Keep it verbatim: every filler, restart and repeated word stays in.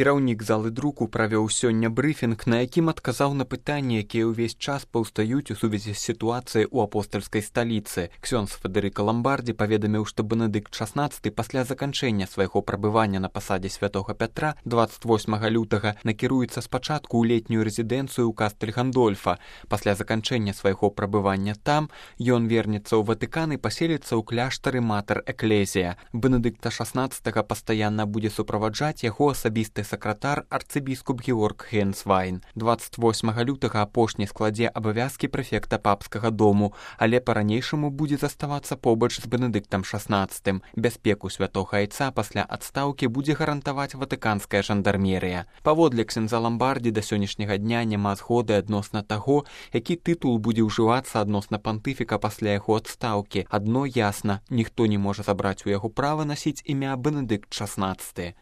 Кіраўнік залы друку правёў сёння брыфінг, на якім адказаў на пытанні, якія ўвесь час паўстаюць у сувязі з сітуацыяй у апостальскай сталіцы. Ксёндз Федэрыка Ламбардзі паведаміў, што Бенедыкт шаснаццаты пасля заканчэння свайго прабывання на пасадзе святога Пятра дваццаць восьмага лютага накіруецца спачатку ў летнюю рэзідэнцыю ў Кастэль Гандольфа. Пасля заканчэння свайго прабывання там ён вернецца ў Ватыкан і паселіцца ў кляштары Матэр Эклезія. Бенедыкта шаснаццатага пастаянна будзе суправаджаць яго асабісты сакратар арцыбіскуп Георг Гейнсвайн. дваццаць восьмага лютага апошні складзе абавязкі прэфекта папскага дому, але па-ранейшаму будзе заставацца побач з Бенедыктам шаснаццатым. Бяспеку святога айца пасля адстаўкі будзе гарантаваць ватыканская жандармерыя. Паводле ксяндза Ламбардзі да сённяшняга дня няма згоды адносна таго, які тытул будзе ўжывацца адносна пантыфіка пасля яго адстаўкі. Адно ясна, ніхто не можа забраць у яго права насіць імя Бенедыкт шаснаццаты.